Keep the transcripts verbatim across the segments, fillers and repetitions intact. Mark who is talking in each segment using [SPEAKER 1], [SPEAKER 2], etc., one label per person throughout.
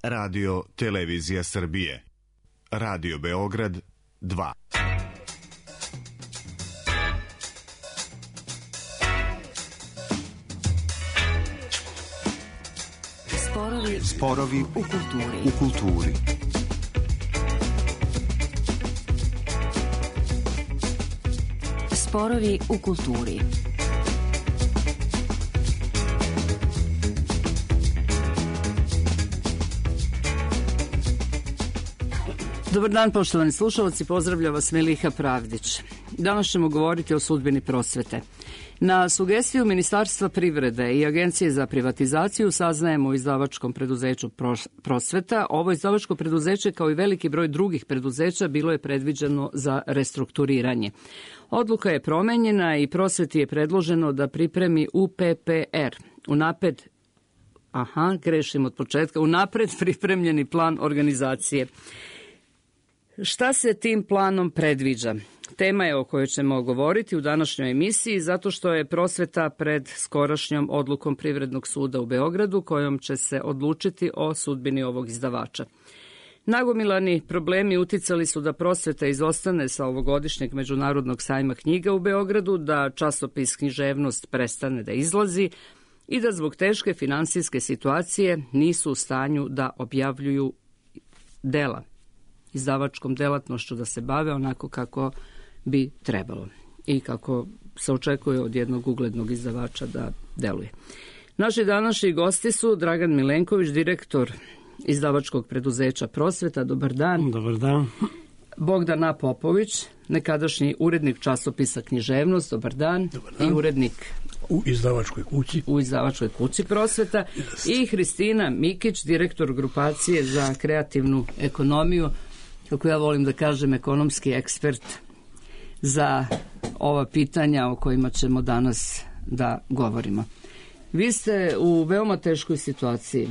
[SPEAKER 1] Radio Televizija Srbije. Radio Beograd dva.
[SPEAKER 2] Sporovi,
[SPEAKER 3] Sporovi
[SPEAKER 2] u kulturi.
[SPEAKER 3] U kulturi.
[SPEAKER 2] Sporovi u kulturi.
[SPEAKER 4] Dobar dan, poštovani slušalci, pozdravlja vas Miliha Pravdić. Danas ćemo govoriti o sudbini prosvete. Na sugestiju Ministarstva privrede i Agencije za privatizaciju saznajemo u izdavačkom preduzeću Prosveta. Ovo izdavačko preduzeće, kao i veliki broj drugih preduzeća, bilo je predviđeno za restrukturiranje. Odluka je promenjena i Prosveti je predloženo da pripremi U P P R, unapred, aha, grešim od početka, unapred pripremljeni plan organizacije. Šta se tim planom predviđa? Tema je o kojoj ćemo govoriti u današnjoj emisiji zato što je Prosveta pred skorašnjom odlukom Privrednog suda u Beogradu kojom će se odlučiti o sudbini ovog izdavača. Nagomilani problemi uticali su da Prosveta izostane sa ovogodišnjeg Međunarodnog sajma knjiga u Beogradu, da časopis Književnost prestane da izlazi i da zbog teške finansijske situacije nisu u stanju da objavljuju dela, izdavačkom delatnošću da se bave onako kako bi trebalo i kako se očekuje od jednog uglednog izdavača da deluje. Naši današnji gosti su Dragan Milenković, direktor izdavačkog preduzeća Prosveta. Dobar dan.
[SPEAKER 5] Dobar dan.
[SPEAKER 4] Bogdan A. Popović, nekadašnji urednik časopisa Književnost. Dobar dan.
[SPEAKER 5] Dobar dan.
[SPEAKER 4] I urednik
[SPEAKER 5] u izdavačkoj kući.
[SPEAKER 4] U izdavačkoj kući Prosveta. Jest. I Hristina Mikić, direktor grupacije za kreativnu ekonomiju, kako ja volim da kažem, ekonomski ekspert za ova pitanja o kojima ćemo danas da govorimo. Vi ste u veoma teškoj situaciji.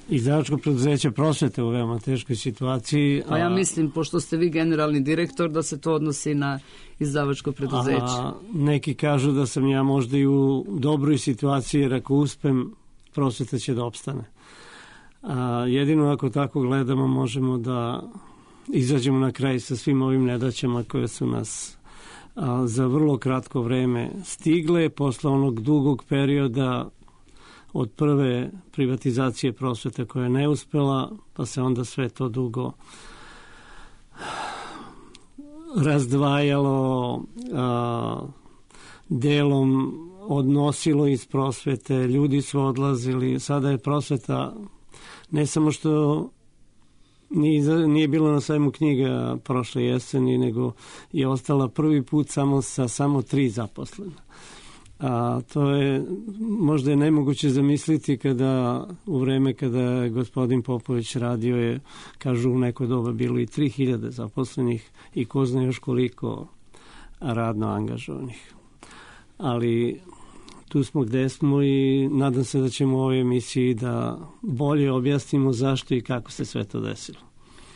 [SPEAKER 5] Izdavačko preduzeće Prosvete u veoma teškoj situaciji.
[SPEAKER 4] A ja mislim, pošto ste vi generalni direktor, da se to odnosi na izdavačko preduzeće.
[SPEAKER 5] A, neki kažu da sam ja možda i u dobroj situaciji, jer ako uspem, Prosveta će da opstane. A, jedino ako tako gledamo možemo da izađemo na kraj sa svim ovim nedaćama koje su nas a, za vrlo kratko vreme stigle posle onog dugog perioda od prve privatizacije Prosvete koja je neuspela, pa se onda sve to dugo razdvajalo, a, delom odnosilo iz Prosvete, ljudi su odlazili, sada je Prosveta ne samo što nije, nije bilo na sajmu knjiga prošle jeseni, nego je ostala prvi put samo sa samo tri zaposlena. A to je možda je nemoguće zamisliti kada u vreme kada je gospodin Popović radio je, kažu u neko doba bilo i tri hiljade zaposlenih i ko zna još koliko radno angažovanih. Ali tu smo gde smo i nadam se da ćemo u ovoj emisiji da bolje objasnimo zašto i kako se sve to desilo.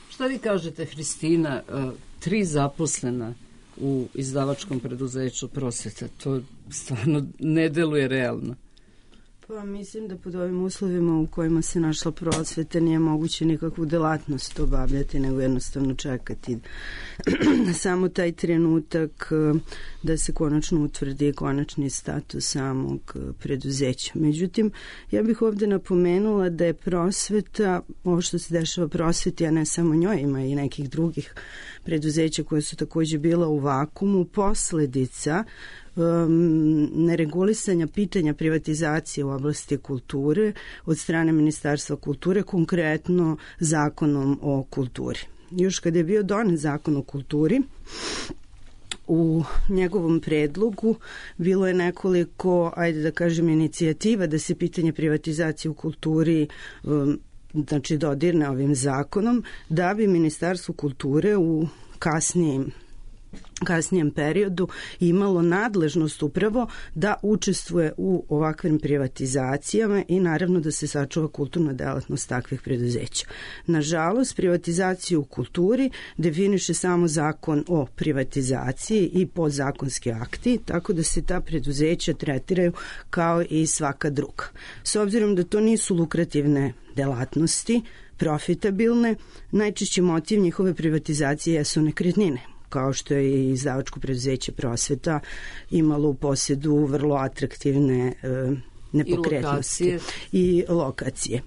[SPEAKER 4] Šta vi kažete, Hristina, tri zaposlena u izdavačkom preduzeću Prosveta, to stvarno ne deluje realno?
[SPEAKER 6] Pa mislim da pod ovim uslovima u kojima se našla Prosveta nije moguće nikakvu delatnost obavljati, nego jednostavno čekati samo taj trenutak da se konačno utvrdi konačni status samog preduzeća. Međutim, ja bih ovde napomenula da je Prosveta, ovo što se dešava Prosveti, a ne samo njoj, ima i nekih drugih preduzeća koje su takođe bila u vakumu, posledica Um, neregulisanja pitanja privatizacije u oblasti kulture od strane Ministarstva kulture, konkretno zakonom o kulturi. Još kada je bio donet zakon o kulturi, u njegovom predlogu bilo je nekoliko, ajde da kažem, inicijativa da se pitanje privatizacije u kulturi um, znači dodirne ovim zakonom, da bi Ministarstvo kulture u kasnijim kasnijem periodu imalo nadležnost upravo da učestvuje u ovakvim privatizacijama i naravno da se sačuva kulturna delatnost takvih preduzeća. Nažalost, privatizaciju u kulturi definiše samo zakon o privatizaciji i podzakonski akti, tako da se ta preduzeća tretiraju kao i svaka druga. S obzirom da to nisu lukrativne delatnosti, profitabilne, najčešći motiv njihove privatizacije jesu nekretnine, kao što je i izdavačko preduzeće Prosveta imalo u posjedu vrlo atraktivne e, nepokretnosti. I lokacije. I lokacije.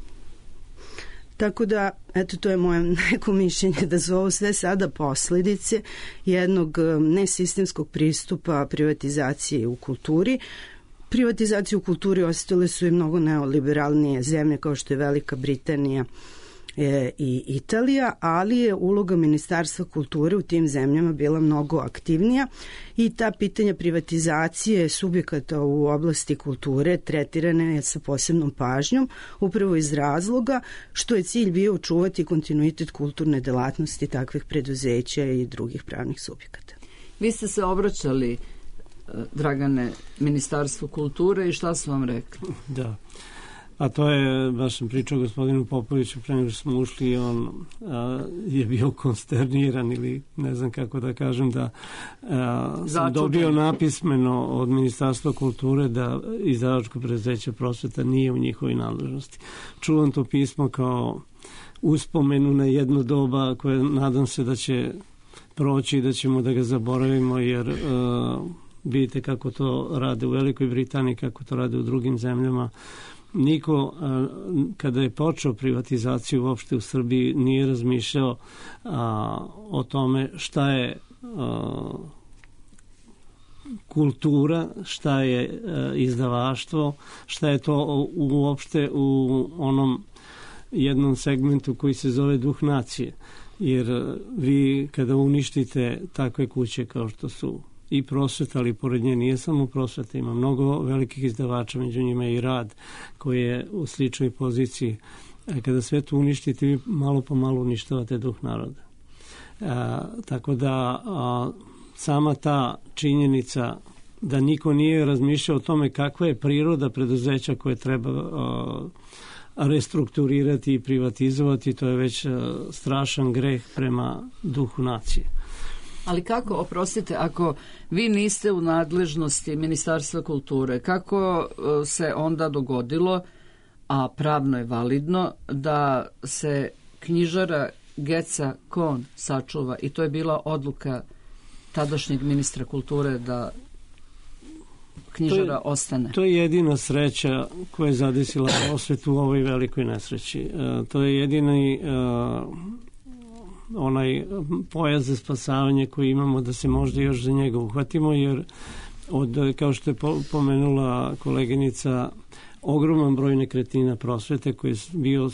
[SPEAKER 6] Tako da, eto, to je moje neko mišljenje da su ovo sve sada posljedice jednog nesistemskog pristupa privatizacije u kulturi. Privatizaciju u kulturi ostale su i mnogo neoliberalnije zemlje kao što je Velika Britanija i Italija, ali je uloga Ministarstva kulture u tim zemljama bila mnogo aktivnija i ta pitanja privatizacije subjekata u oblasti kulture tretirane je sa posebnom pažnjom, upravo iz razloga što je cilj bio očuvati kontinuitet kulturne delatnosti takvih preduzeća i drugih pravnih subjekata.
[SPEAKER 4] Vi ste se obraćali, Dragane, Ministarstvu kulture i šta su vam rekli?
[SPEAKER 5] Da. A to je, baš sam pričao gospodinu Popoviću pre nego što smo ušli i on a, je bio konsterniran ili ne znam kako da kažem da a, sam dobio napismeno od Ministarstva kulture da izdavačko preduzeće Prosveta nije u njihovoj nadležnosti. Čuvam to pismo kao uspomenu na jedno doba koje nadam se da će proći i da ćemo da ga zaboravimo jer a, vidite kako to rade u Velikoj Britaniji, kako to rade u drugim zemljama. Niko, kada je počeo privatizaciju uopšte u Srbiji, nije razmišljao a, o tome šta je a, kultura, šta je a, izdavaštvo, šta je to uopšte u onom jednom segmentu koji se zove duh nacije. Jer vi kada uništite takve kuće kao što su i Prosveta, ali pored nje nije samo Prosveta, ima mnogo velikih izdavača, među njima i Rad koji je u sličnoj poziciji. Kada sve to uništite, vi malo po malo uništavate duh naroda. A, tako da a, sama ta činjenica da niko nije razmišljao o tome kakva je priroda preduzeća koje treba a, restrukturirati i privatizovati, to je već a, strašan greh prema duhu nacije.
[SPEAKER 4] Ali kako, oprostite, ako vi niste u nadležnosti Ministarstva kulture, kako se onda dogodilo, a pravno je validno, da se knjižara Geca Kon sačuva i to je bila odluka tadašnjeg ministra kulture da knjižara
[SPEAKER 5] to je,
[SPEAKER 4] ostane? To
[SPEAKER 5] je jedina sreća koja je zadesila Prosvetu u ovoj velikoj nesreći. E, to je jedini e, onaj pojas za spasavanje koji imamo da se možda još za njega uhvatimo, jer od, kao što je pomenula koleginica, ogroman broj nekretnina Prosvete koji je bio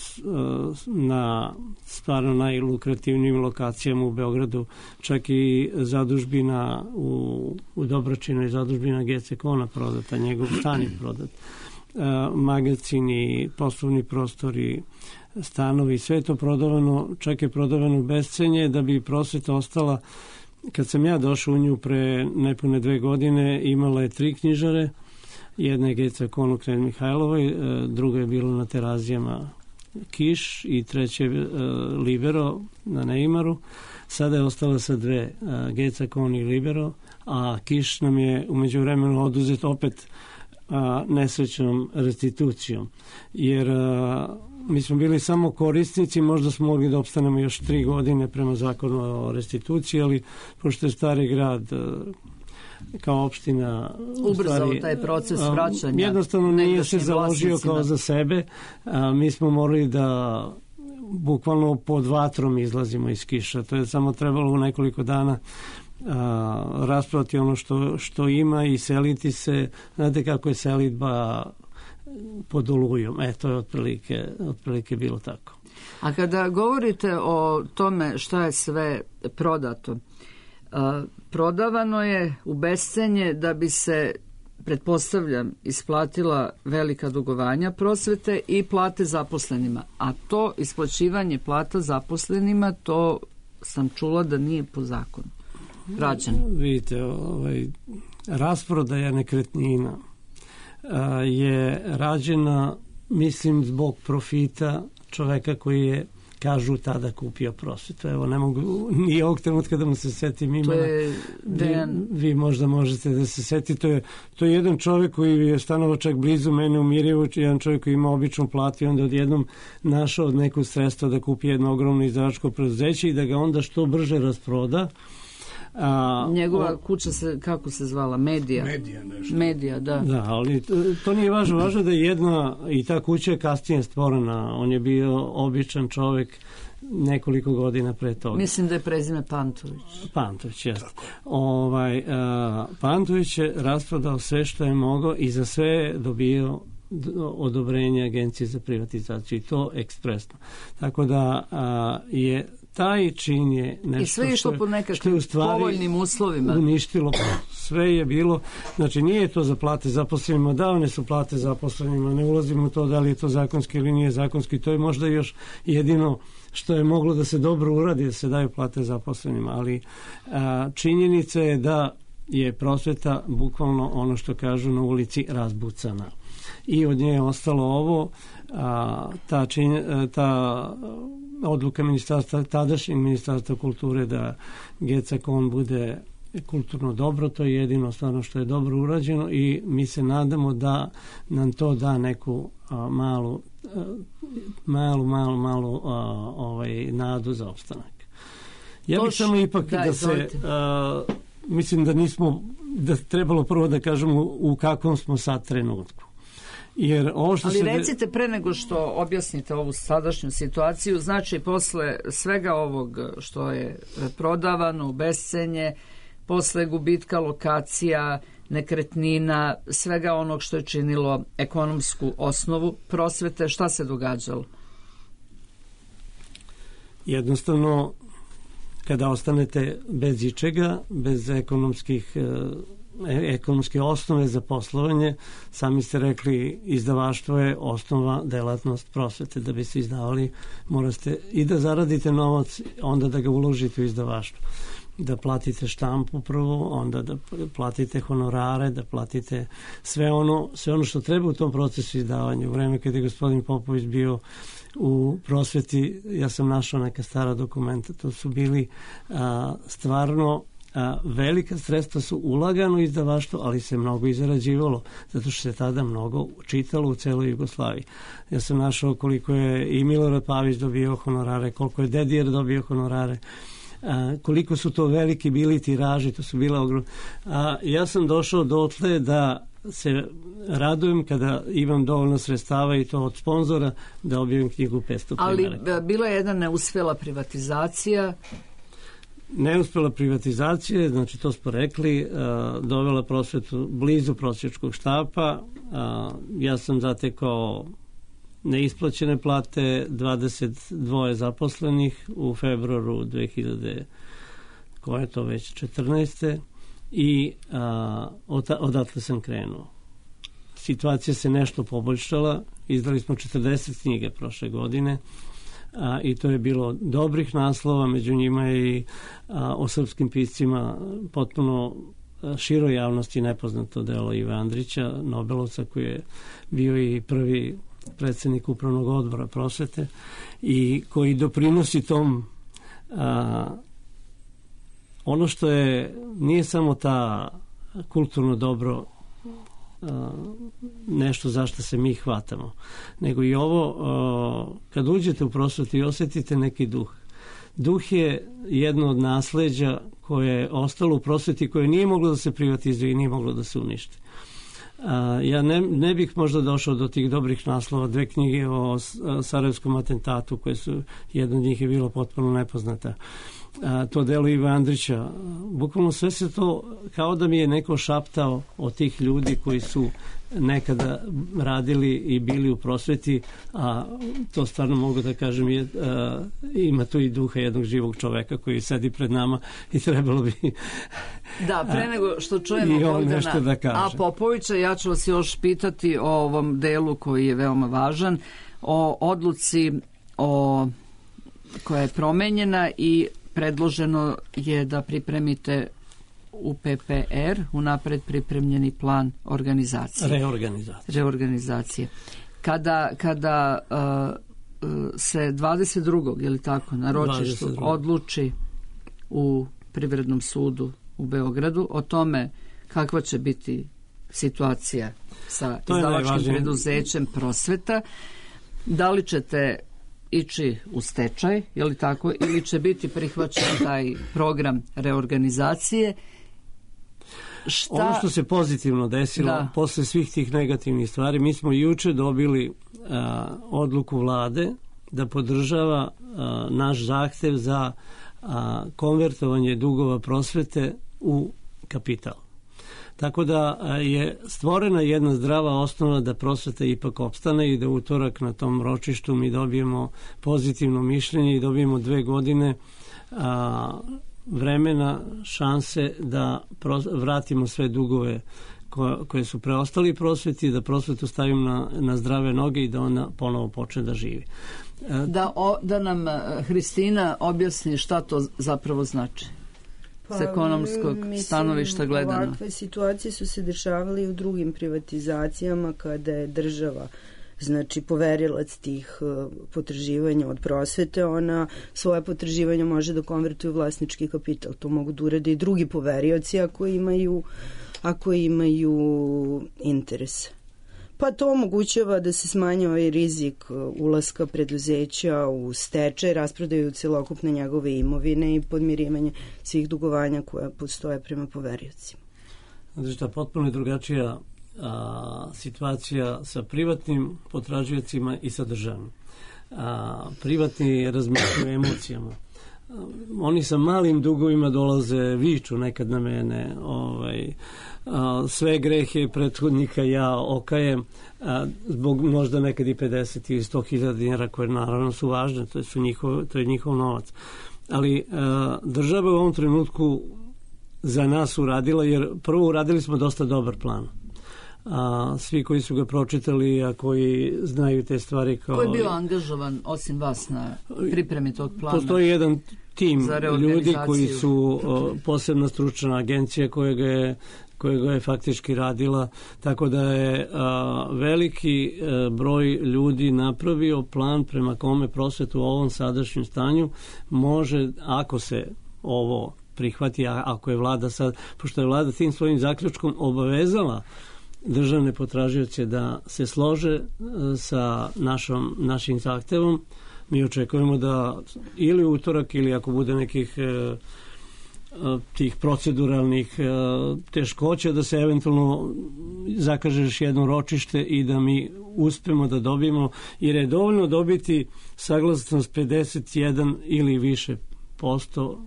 [SPEAKER 5] na stvarno najlukrativnijim lokacijama u Beogradu, čak i zadužbina u, u Dobračinu i zadužbina Gece Kona prodata, njegov stan je prodat, magazini, poslovni prostori, stanovi, sve je to prodavano, čak je prodavano u bescenje da bi Prosveta ostala. Kad sam ja došao u nju pre nepune dve godine, imala je tri knjižare, jedna je Geca Kon u Knez Mihajlovoj, druga je bila na Terazijama Kiš i treća je Libero na Neimaru. Sada je ostala sa dve, Geca Kon i Libero, a Kiš nam je umeđu vremenu oduzet opet nesrećnom restitucijom, jer mi smo bili samo korisnici, možda smo mogli da opstanemo još tri godine prema zakonu o restituciji, ali pošto je Stari grad kao opština
[SPEAKER 4] ubrzao stvari, taj proces vraćanja,
[SPEAKER 5] jednostavno nije se založio kao za sebe, a, mi smo morali da bukvalno pod vatrom izlazimo iz Kiša. To je samo trebalo u nekoliko dana a, raspravati ono što, što ima i seliti se. Znate kako je selitba pod olujom. E, to je otprilike, otprilike bilo tako.
[SPEAKER 4] A kada govorite o tome šta je sve prodato, a, prodavano je u bescenje da bi se, pretpostavljam, isplatila velika dugovanja Prosvete i plate zaposlenima. A to isplaćivanje plata zaposlenima, to sam čula da nije po zakonu. rađen?
[SPEAKER 5] Vidite, ovaj, rasprodaja nekretnina a, je rađena, mislim, zbog profita čoveka koji je, kažu, tada kupio prosvetu. Evo, ne mogu ni ovog trenutka da mu se setim imena.
[SPEAKER 4] To je Dejan...
[SPEAKER 5] vi, vi možda možete da se setite. To je, to je jedan čovek koji je stanovao čak blizu mene u Mirjevu, jedan čovek koji ima običnu platu i onda odjednom našao od neku sredstva da kupi jedno ogromno izdavačko preduzeće i da ga onda što brže rasproda. A,
[SPEAKER 4] Njegova
[SPEAKER 5] o,
[SPEAKER 4] kuća se, kako se zvala? Medija.
[SPEAKER 3] Medija nešto.
[SPEAKER 4] Medija, da.
[SPEAKER 5] Da, ali to, to nije važno. Važno da je jedna, i ta kuća je kasnije stvorena. On je bio običan čovek nekoliko godina pre toga.
[SPEAKER 4] Mislim da je prezime Pantović.
[SPEAKER 5] Pantović, jeste. Ovaj, a, Pantović je rasprodao sve što je mogao i za sve je dobio odobrenje Agencije za privatizaciju i to ekspresno. Tako da a, je taj čin je nešto
[SPEAKER 4] i sve je išlo po nekakvim povoljnim uslovima.
[SPEAKER 5] Uništilo. Sve je bilo, znači nije to za plate zaposlenima, davane su plate zaposlenima, ne ulazimo u to da li je to zakonski ili nije zakonski, to je možda još jedino što je moglo da se dobro uradi, da se daju plate zaposlenima, ali a, činjenica je da je prosveta bukvalno ono što kažu na ulici razbucana. I od nje je ostalo ovo, a, ta, čin, ta odluka ministarstva, tadašnjeg ministarstva kulture da G C K O N bude kulturno dobro, to je jedino stvarno što je dobro urađeno i mi se nadamo da nam to da neku a, malu, a, malu, malu, malu a, ovaj, nadu za opstanak. Ja bih samo ipak da, da se, a, mislim da nismo, da trebalo prvo da kažemo u kakvom smo sad trenutku. Jer ovo što
[SPEAKER 4] Ali
[SPEAKER 5] se
[SPEAKER 4] recite pre nego što objasnite ovu sadašnju situaciju, znači posle svega ovog što je prodavano u bescenje, posle gubitka lokacija, nekretnina, svega onog što je činilo ekonomsku osnovu prosvete, šta se događalo?
[SPEAKER 5] Jednostavno, kada ostanete bez ičega, bez ekonomskih ekonomske osnove za poslovanje, sami ste rekli, izdavaštvo je osnova delatnost prosvete. Da bi se izdavali, morate i da zaradite novac, onda da ga uložite u izdavaštvo. Da platite štampu prvo, onda da platite honorare, da platite sve ono, sve ono što treba u tom procesu izdavanja. U vreme kada je gospodin Popović bio u prosveti, ja sam našao neka stara dokumenta, to su bili a, stvarno a, velika sredstva su ulagano u izdavaštvo, ali se mnogo i zarađivalo, zato što se tada mnogo čitalo u celoj Jugoslaviji. Ja sam našao koliko je i Milorad Pavić dobio honorare, koliko je Dedijer dobio honorare, a, koliko su to veliki bili tiraži, to su bila ogromna. A, ja sam došao dotle da se radujem kada imam dovoljno sredstava i to od sponzora da objavim knjigu petsto primjeraka.
[SPEAKER 4] Ali bila je jedna neuspela privatizacija.
[SPEAKER 5] Neuspela privatizacija, znači to smo rekli, uh, dovela prosvetu blizu prosječkog štapa. Uh, ja sam zatekao neisplaćene plate, dvadeset dva zaposlenih u februaru dve hiljade, koje je to već četrnaeste i uh, odatle sam krenuo. Situacija se nešto poboljšala, izdali smo četrdeset knjiga prošle godine, a, i to je bilo dobrih naslova, među njima i a, o srpskim piscima potpuno široj javnosti nepoznato delo Ive Andrića, Nobelovca, koji je bio i prvi predsjednik upravnog odbora prosvete i koji doprinosi tom a, ono što je, nije samo ta kulturno dobro nešto zašto se mi hvatamo, nego i ovo, kad uđete u prosvetu i osjetite neki duh. Duh je jedno od nasleđa koje je ostalo u prosveti, koje nije moglo da se privatizuje i nije moglo da se uništi. Ja ne, ne bih možda došao do tih dobrih naslova, dve knjige o sarajevskom atentatu, koje su, jedna od njih je bila potpuno nepoznata. A, to delo Iva Andrića, bukvalno sve se to, kao da mi je neko šaptao od tih ljudi koji su nekada radili i bili u prosveti, a to stvarno mogu da kažem je, a, ima tu i duha jednog živog čoveka koji sedi pred nama i trebalo bi
[SPEAKER 4] da, pre nego što čujemo Bogdana
[SPEAKER 5] da
[SPEAKER 4] A Popovića, ja ću vas još pitati o ovom delu koji je veoma važan, o odluci o koja je promenjena i predloženo je da pripremite U P P R, unapred pripremljeni plan organizacije.
[SPEAKER 5] Reorganizacije.
[SPEAKER 4] Reorganizacije. Kada, kada uh, se dvadeset drugog ili tako, na ročištu odluči u Privrednom sudu u Beogradu o tome kakva će biti situacija sa izdavačkim preduzećem Prosveta, da li ćete ići u stečaj, je li tako, ili će biti prihvaćen taj program reorganizacije? Šta...
[SPEAKER 5] Ono što se pozitivno desilo da. Posle svih tih negativnih stvari, mi smo juče dobili a, odluku vlade da podržava a, naš zahtev za a, konvertovanje dugova Prosvete u kapital. Tako da je stvorena jedna zdrava osnova da Prosveta ipak opstane i da utorak na tom ročištu mi dobijemo pozitivno mišljenje i dobijemo dve godine a, vremena, šanse da pros, vratimo sve dugove koje, koje su preostali Prosveti, da Prosvetu stavimo na, na zdrave noge i da ona ponovo počne da živi.
[SPEAKER 4] Da, o, da nam Hristina objasni šta to zapravo znači.
[SPEAKER 6] Pa,
[SPEAKER 4] s ekonomskog mislim, stanovišta gledano.
[SPEAKER 6] Ovakve situacije su se dešavale i u drugim privatizacijama kada je država, znači poverilac tih uh, potraživanja od Prosvete, ona svoje potraživanja može da konvertuje u vlasnički kapital. To mogu da urade i drugi poverioci ako imaju, ako imaju interes. Pa to omogućava da se smanji ovaj rizik ulaska preduzeća u stečaj, rasprodaju celokupne njegove imovine i podmirivanje svih dugovanja koja postoje prema poveriocima.
[SPEAKER 5] Znači šta, potpuno je drugačija a, situacija sa privatnim potražiocima i sa državnim. A, privatni razmišljaju emocijama. A, oni sa malim dugovima dolaze, viču nekad na mene, ovaj, a, sve grehe prethodnika ja okajem, a, zbog možda nekad i pedeset ili sto hiljada dinara koje naravno su važne, to, su njihov, to je njihov novac. Ali a, država u ovom trenutku za nas uradila, jer prvo uradili smo dosta dobar plan. A, svi koji su ga pročitali, a koji znaju te stvari kao...
[SPEAKER 4] Ko je bio angažovan osim vas na pripremi tog plana?
[SPEAKER 5] Postoji jedan tim ljudi koji su o, posebna stručna agencija koja ga je koja ga je faktički radila, tako da je a, veliki a, broj ljudi napravio plan prema kome Prosvetu u ovom sadašnjem stanju može, ako se ovo prihvati, a ako je vlada sad, pošto je vlada tim svojim zaključkom obavezala državne potražioce da se slože sa našom, našim zahtevom, mi očekujemo da ili utorak ili ako bude nekih e, tih proceduralnih e, teškoća da se eventualno zakaže još jedno ročište i da mi uspemo da dobijemo, jer je dovoljno dobiti saglasnost pedeset jedan ili više posto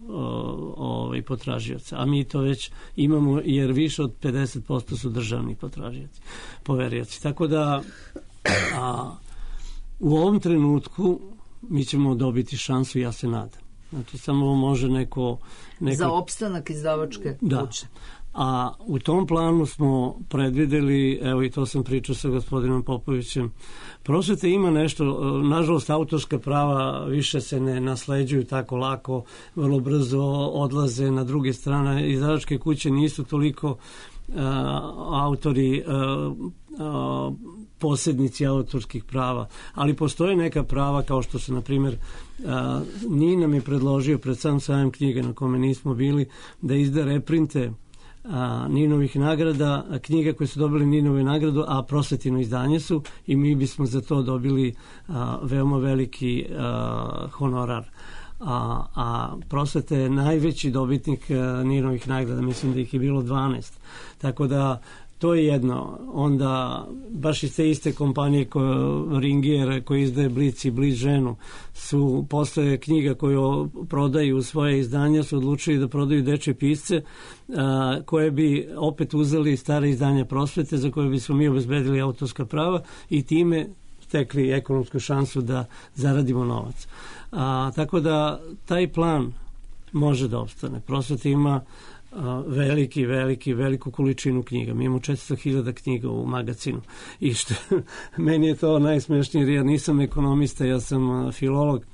[SPEAKER 5] ovaj, potražioca, a mi to već imamo jer više od pedeset posto su državni potražioci, poverioci. Tako da a, u ovom trenutku mi ćemo dobiti šansu, ja se nadam. Znači samo može neko... neko...
[SPEAKER 4] Za opstanak izdavačke
[SPEAKER 5] da. Kuće. A u tom planu smo predvideli, evo i to sam pričao sa gospodinom Popovićem, Prosveta ima nešto, nažalost autorska prava više se ne nasleđuju tako lako, vrlo brzo odlaze na druge strane, izdavačke kuće nisu toliko uh, autori, uh, uh, posjednici autorskih prava, ali postoje neka prava kao što su, na primjer, uh, Nina mi je predložio pred sam sajam knjige na kome nismo bili, da izda reprinte A, Ninovih nagrada, a knjiga koje su dobili Ninove nagradu, a Prosvetino izdanje su i mi bismo za to dobili a, veoma veliki a, honorar. A, a Prosveta je najveći dobitnik a, Ninovih nagrada, mislim da ih je bilo dvanaest. Tako da to je jedno. Onda baš iz te iste kompanije koje Ringier, koji izdaje Blic i Blic ženu, su posle knjiga koju prodaju svoje izdanja su odlučili da prodaju dečje pisce a, koje bi opet uzeli stare izdanja Prosvete za koje bismo mi obezbedili autorska prava i time stekli ekonomsku šansu da zaradimo novac. A, tako da taj plan može da opstane. Prosveta ima veliki, veliki, veliku količinu knjiga. Mi imamo četiristo hiljada knjiga u magazinu. I što, meni je to najsmešnije, jer ja nisam ekonomista, ja sam filolog.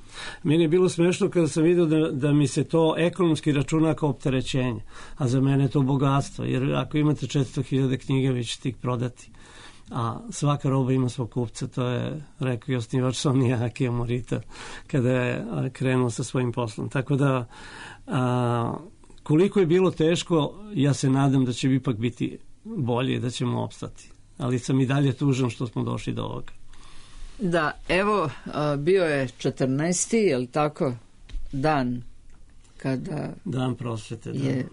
[SPEAKER 5] Meni je bilo smešno kada sam vidio da, da mi se to ekonomski računa kao opterećenje, a za mene je to bogatstvo, jer ako imate četiristo hiljada knjiga, vi ćete ih prodati. A svaka roba ima svog kupca, to je rekao i osnivač Sonija Akija Morita kada je krenuo sa svojim poslom. Tako da, a, koliko je bilo teško, ja se nadam da će ipak biti bolje, da ćemo opstati. Ali sam i dalje tužan što smo došli do ovoga.
[SPEAKER 4] Da, evo, bio je četrnaesti, je li tako, dan kada
[SPEAKER 5] dan prosvete, da.
[SPEAKER 4] Je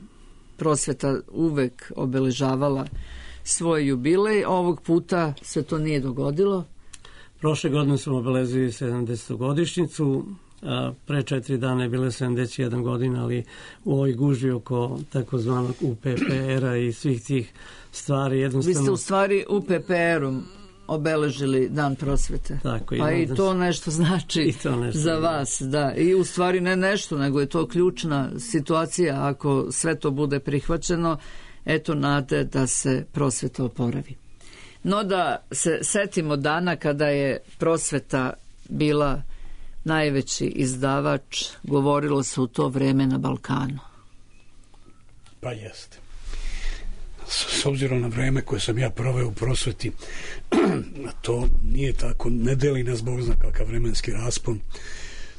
[SPEAKER 4] prosveta uvek obeležavala svoj jubilej. Ovog puta se to nije dogodilo.
[SPEAKER 5] Prošle godine smo obeležili sedamdesetu godišnjicu, a pre četiri dana je bila sedamdeset jedna godina, ali u ovoj gužvi oko takozvanog U P P R-a i svih tih stvari jednostavno...
[SPEAKER 4] Vi ste u stvari U P P R-om obeležili dan prosvete.
[SPEAKER 5] Tako,
[SPEAKER 4] pa i to nešto znači
[SPEAKER 5] to nešto
[SPEAKER 4] za vas, da. I u stvari ne nešto, nego je to ključna situacija. Ako sve to bude prihvaćeno, eto nade da se prosveta oporavi. No da se setimo dana kada je prosveta bila najveći izdavač, govorilo se u to vreme na Balkanu.
[SPEAKER 3] Pa jeste. S obzirom na vreme koje sam ja proveo u prosveti, to nije tako, ne deli nas Bog zna kakav vremenski raspon.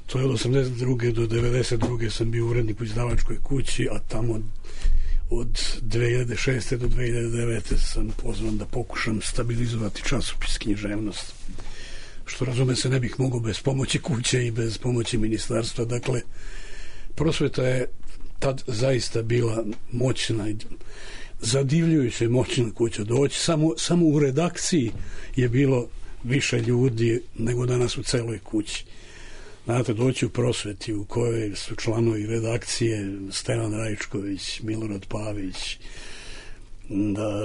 [SPEAKER 3] To je od osamdeset druge do devedeset druge sam bio urednik u izdavačkoj kući, a tamo od dve hiljade šeste do dve hiljade devete sam pozvan da pokušam stabilizovati časopis Književnost. Što razume se ne bih mogao bez pomoći kuće i bez pomoći ministarstva. Dakle, prosveta je tad zaista bila moćna i zadivljujuće moćna kuća. Doći samo, samo u redakciji je bilo više ljudi nego danas u celoj kući. Znate, doći u prosveti u kojoj su članovi redakcije Stevan Rajčković, Milorad Pavić, da,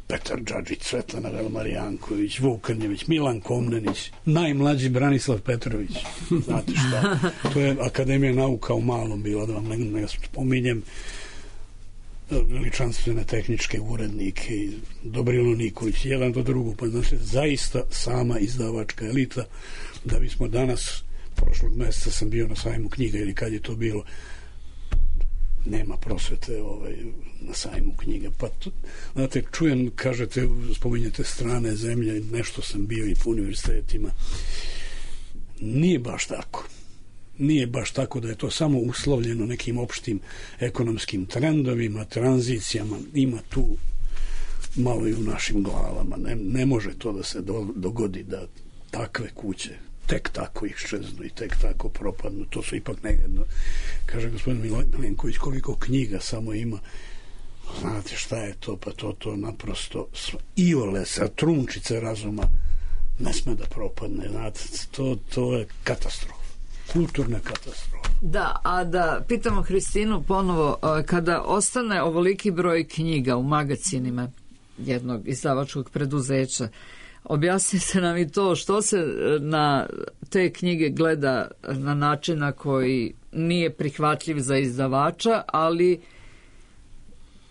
[SPEAKER 3] Petar Đađić, Svetlana Velmarijanković, Vuk Krnjević, Milan Komnenić, najmlađi Branislav Petrović. Znate šta? To je Akademija nauka u malom bila, da vam ne, ne spominjem, veličanstvene tehničke urednike, Dobrilo Nikolić, jedan do drugog, pa znači zaista sama izdavačka elita. Da bismo danas, prošlog meseca sam bio na sajmu knjiga ili kad je to bilo, nema prosvete ovaj, na sajmu knjiga. Pa to, znate, čujem, kažete, spominjete strane zemlje, nešto sam bio i po univerzitetima. Nije baš tako. Nije baš tako da je to samo uslovljeno nekim opštim ekonomskim trendovima, tranzicijama. Ima tu malo i u našim glavama. Ne, ne može to da se do, dogodi da takve kuće tek tako iščeznu i tek tako propadnu. To su ipak nejedno. Kaže gospodin Milenković, koliko knjiga samo ima. Znate šta je to? Pa to, to naprosto iole sa trunčice razuma ne sme da propadne. Znate, to, to je katastrofa. Kulturna katastrofa.
[SPEAKER 4] Da, a da pitamo Hristinu ponovo, kada ostane ovoliki broj knjiga u magacinima jednog izdavačkog preduzeća, objasnite nam i to što se na te knjige gleda na način na koji nije prihvatljiv za izdavača, ali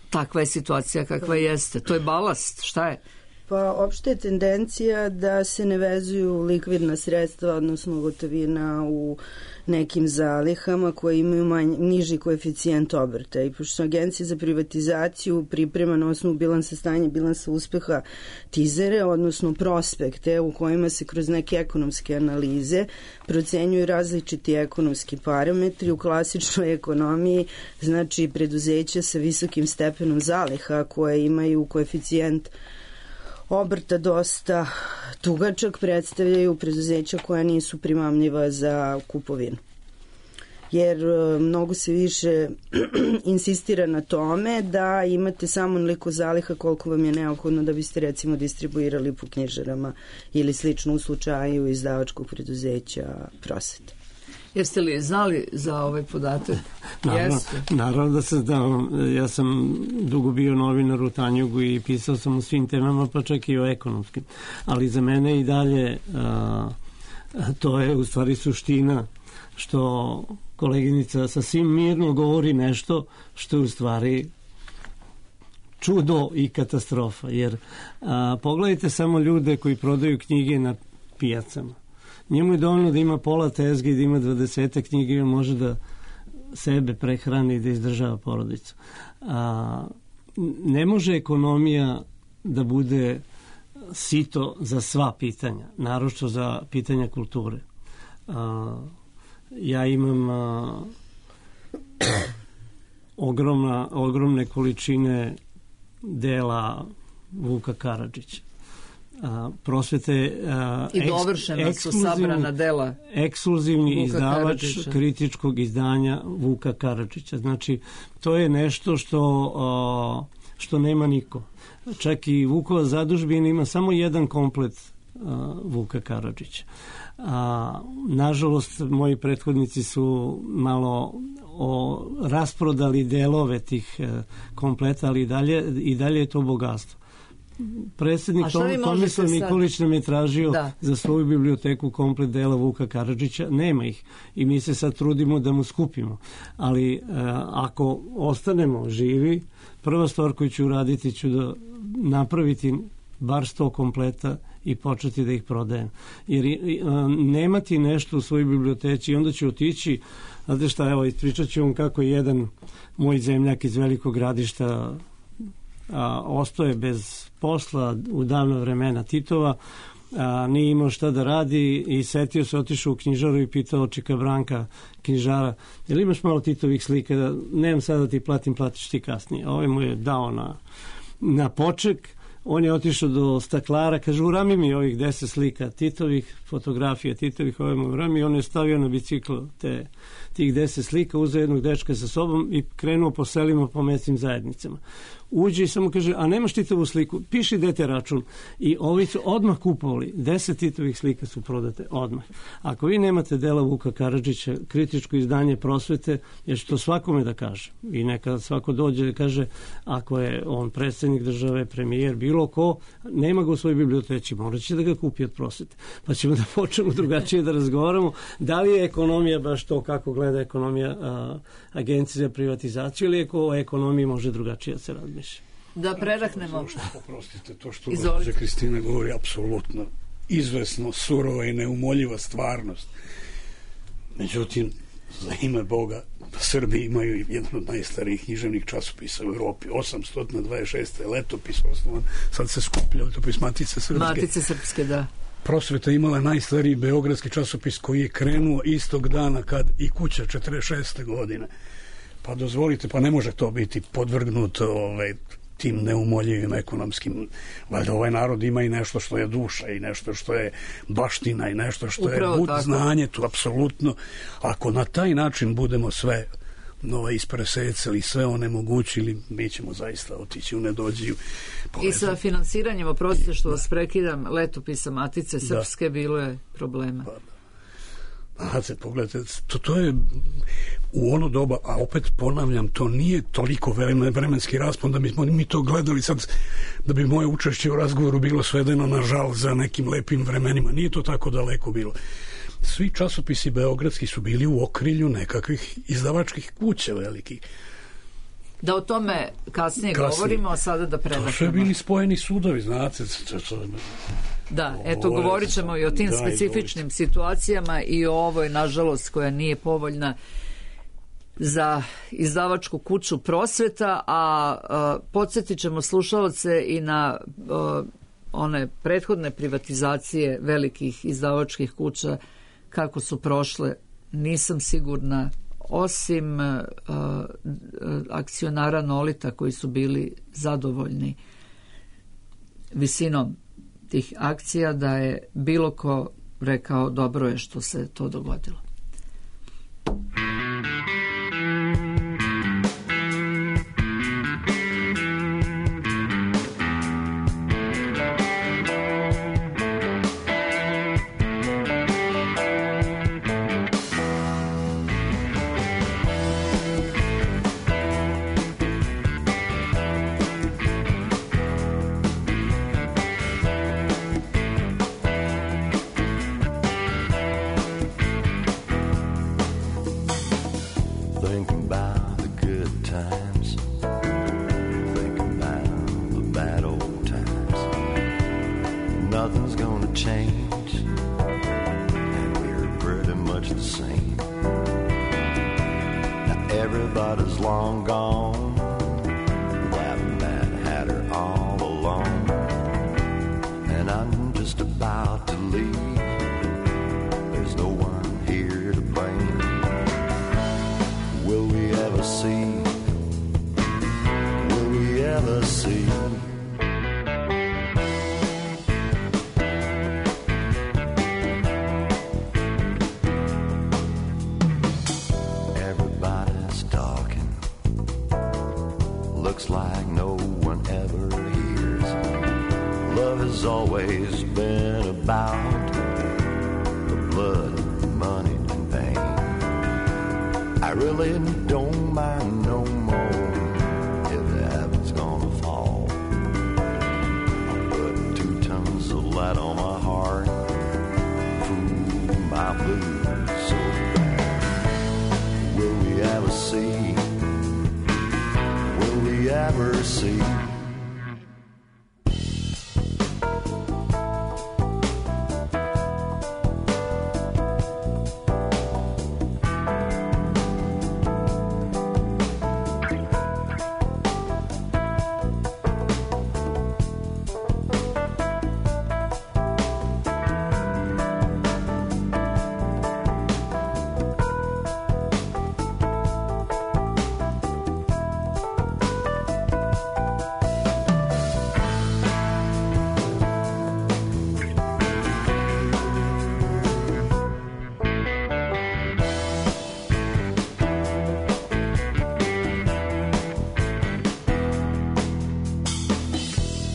[SPEAKER 4] takva je situacija kakva jeste. To je balast, šta je?
[SPEAKER 6] Pa opšte je tendencija da se ne vezuju likvidna sredstva, odnosno gotovina u nekim zalihama koje imaju manj, niži koeficijent obrta. I pošto Agencija za privatizaciju priprema na osnovu bilansa stanja, bilansa uspeha tizere, odnosno prospekte u kojima se kroz neke ekonomske analize procenjuju različiti ekonomski parametri u klasičnoj ekonomiji, znači preduzeća sa visokim stepenom zaliha koje imaju koeficijent obrta dosta tugačak, predstavljaju preduzeća koja nisu primamljiva za kupovinu. Jer mnogo se više insistira na tome da imate samo onoliko zaliha koliko vam je neophodno da biste recimo distribuirali po knjižarama ili slično u slučaju izdavačkog preduzeća Prosvete.
[SPEAKER 4] Jeste li znali za ovaj podatak?
[SPEAKER 5] Naravno, naravno da se da, ja sam dugo bio novinar u Tanjugu i pisao sam o svim temama, pa čak i o ekonomskim. Ali za mene i dalje a, to je u stvari suština što koleginica sasvim mirno govori nešto što je u stvari čudo i katastrofa. Jer a, pogledajte samo ljude koji prodaju knjige na pijacama. Njemu je dovoljno da ima pola tezge i da ima dvadesetak knjige i on može da sebe prehrani i da izdržava porodicu. A, ne može ekonomija da bude sito za sva pitanja, naročito za pitanja kulture. A, ja imam a, ogromna, ogromne količine dela Vuka Karadžića. A, prosvete a,
[SPEAKER 4] i dovršena su sabrana dela
[SPEAKER 5] ekskluzivni
[SPEAKER 4] Vuka
[SPEAKER 5] izdavač
[SPEAKER 4] Karadžića.
[SPEAKER 5] Kritičkog izdanja Vuka Karadžića. Znači, to je nešto što, a, što nema niko. Čak i Vukova zadužbina ima samo jedan komplet a, Vuka Karadžića. A, nažalost, moji prethodnici su malo o, rasprodali delove tih a, kompleta, ali i dalje, i dalje je to bogatstvo. Predsjednik Tom, Tomislav Nikolić nam je tražio da. za svoju biblioteku komplet dela Vuka Karadžića. Nema ih i mi se sad trudimo da mu skupimo. Ali e, ako ostanemo živi, prva stvar koju ću uraditi ću da napraviti bar sto kompleta i početi da ih prodajem. Jer e, nemati nešto u svojoj biblioteci i onda ću otići, znate šta, evo, ispričat ću vam kako je jedan moj zemljak iz Velikog Gradišta a, ostoje bez posla u davno vremena Titova, a, nije imao šta da radi i setio se, otišao u knjižaru i pitao čika Branka knjižara, jel imaš malo Titovih slika? Da, nemam sada da ti platim, platiš ti kasnije. Ovaj mu je dao na, na poček, on je otišao do staklara, kaže, urami mi ovih deset slika Titovih, fotografija Titovih, ovaj mu urami, on je stavio na bicikl te, tih deset slika, uzeo jednog dečka sa sobom i krenuo po selima, po mesnim zajednicama. Uđe i samo kaže, a nemaš Titovu sliku, piši dete račun. I ovi su odmah kupovali, deset Titovih slika su prodate odmah. Ako vi nemate dela Vuka Karadžića, kritičko izdanje prosvete, jer što svakome da kaže. I neka svako dođe da kaže, ako je on predsjednik države, premijer, bilo ko, nema ga u svojoj biblioteci, morat će da ga kupi od prosvete. Pa ćemo da počnemo drugačije da razgovaramo. Da li je ekonomija baš to kako gleda ekonomija a, Agencije za privatizaciju ili o ekonomiji može drugačije da se razmišlja?
[SPEAKER 4] Da prerahnemo.
[SPEAKER 3] Poprostite, to što gospođa Kristina govori apsolutno izvesno, surova i neumoljiva stvarnost. Međutim, za ime Boga, Srbi imaju jedan od najstarijih književnih časopisa u Evropi. osamsto dvadeset šeste letopis osnovan, sad se skuplja letopis Matice Srpske.
[SPEAKER 4] Matice Srpske, da.
[SPEAKER 3] Prosveta imala najstariji beogradski časopis koji je krenuo istog dana kad i Kuća četrdeset šeste godine. Pa dozvolite, pa ne može to biti podvrgnuto ovaj, tim neumoljivim ekonomskim. Valjda ovaj narod ima i nešto što je duša i nešto što je baština i nešto što Upravo je bud znanje, tu apsolutno. Ako na taj način budemo sve nova ispresecali, sve onemogućili, mi ćemo zaista otići u nedođiju.
[SPEAKER 4] I sa finansiranjem, oprostite što vas prekidam, letopisa Matice Srpske, da. Bilo je problema. Pa,
[SPEAKER 3] znate, pogledajte, to, to je u ono doba, a opet ponavljam, to nije toliko vremenski raspon da bismo mi to gledali sad, da bi moje učešće u razgovoru bilo svedeno na žal za nekim lepim vremenima. Nije to tako daleko bilo. Svi časopisi beogradski su bili u okrilju nekakvih izdavačkih kuća velikih.
[SPEAKER 4] Da o tome kasnije, kasnije. govorimo, a sada da predahnemo. To su bili spojeni sudovi, znate. Da, eto, govorit ćemo i o tim da, specifičnim situacijama i o ovoj, nažalost, koja nije povoljna za izdavačku kuću Prosveta, a, a podsjetit ćemo slušalce i na a, one prethodne privatizacije velikih izdavačkih kuća, kako su prošle, nisam sigurna, osim a, a, akcionara Nolita koji su bili zadovoljni visinom tih akcija, da je bilo ko rekao dobro je što se to dogodilo.
[SPEAKER 7] much the same. Now everybody's long gone, that Mad Hatter all alone, and I'm just about to leave. There's no one here to blame. Will we ever see? Will we ever see? Everybody's talking. Looks like no one ever hears. Love has always been about the blood, money, and pain. I really don't mind no more if the heaven's gonna fall. I'll put two tons of light on my heart, fool my blues so bad. Will we ever see? Will we ever see?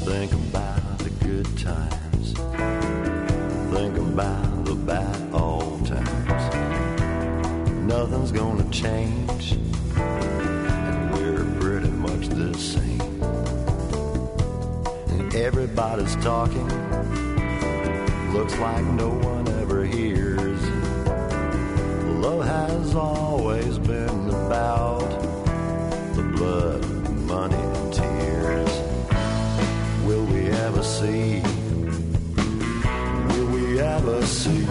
[SPEAKER 7] Think about the good times. Think about the bad old times. Nothing's gonna change, and we're pretty much the same. And everybody's talking. Looks like no one ever hears. Love has always been about the blood, money, and tears. Will we ever see? Will we ever see?